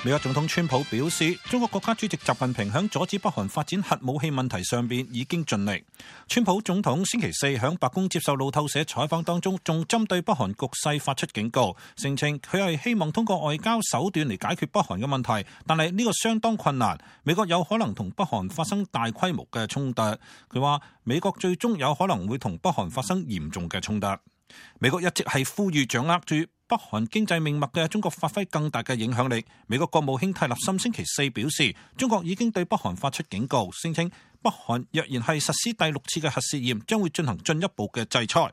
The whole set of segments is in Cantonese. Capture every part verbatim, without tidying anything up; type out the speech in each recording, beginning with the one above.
美國總統川普表示，中國國家主席習近平響阻止北韓發展核武器問題上邊已經盡力。川普總統星期四響白宮接受路透社採訪當中，仲針對北韓局勢發出警告，聲稱佢係希望通過外交手段嚟解決北韓嘅問題，但係呢個相當困難。美國有可能同北韓發生大規模嘅衝突。佢話美國最終有可能會同北韓發生嚴重嘅衝突。美國一直係呼籲掌握住北韓經濟命脈嘅中國發揮更大嘅影響力。美國國務卿泰勒森星期四表示，中國已經對北韓發出警告，聲稱北韓若然係實施第六次嘅核試驗，將會進行進一步嘅制裁。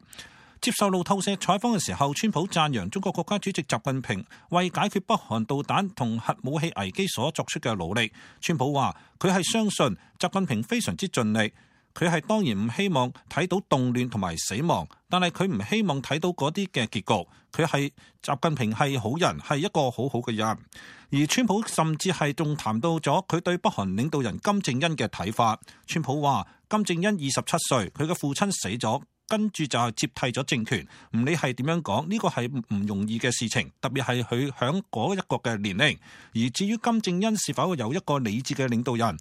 接受路透社採訪嘅時候，川普讚揚中國國家主席習近平為解決北韓導彈同核武器危機所作出嘅努力。川普話佢係相信習近平非常之盡力。佢係當然唔希望睇到動亂同埋死亡，但係佢唔希望睇到嗰啲嘅結局。佢係習近平係好人，係一個好好嘅人。而川普甚至係仲談到咗佢對北韓領導人金正恩嘅睇法。川普話金正恩二十七歲，佢嘅父親死咗，跟住就係接替咗政權。唔理係點樣講，呢個係唔容易嘅事情，特別係佢響嗰一個嘅年齡。而至於金正恩是否有一個理智嘅領導人，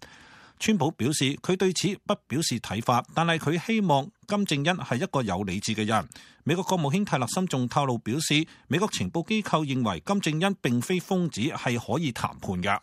川普表示佢對此不表示睇法，但係佢希望金正恩係一個有理智嘅人。美國國務卿泰勒森仲透露表示，美國情報機構認為金正恩並非瘋子，係可以談判嘅。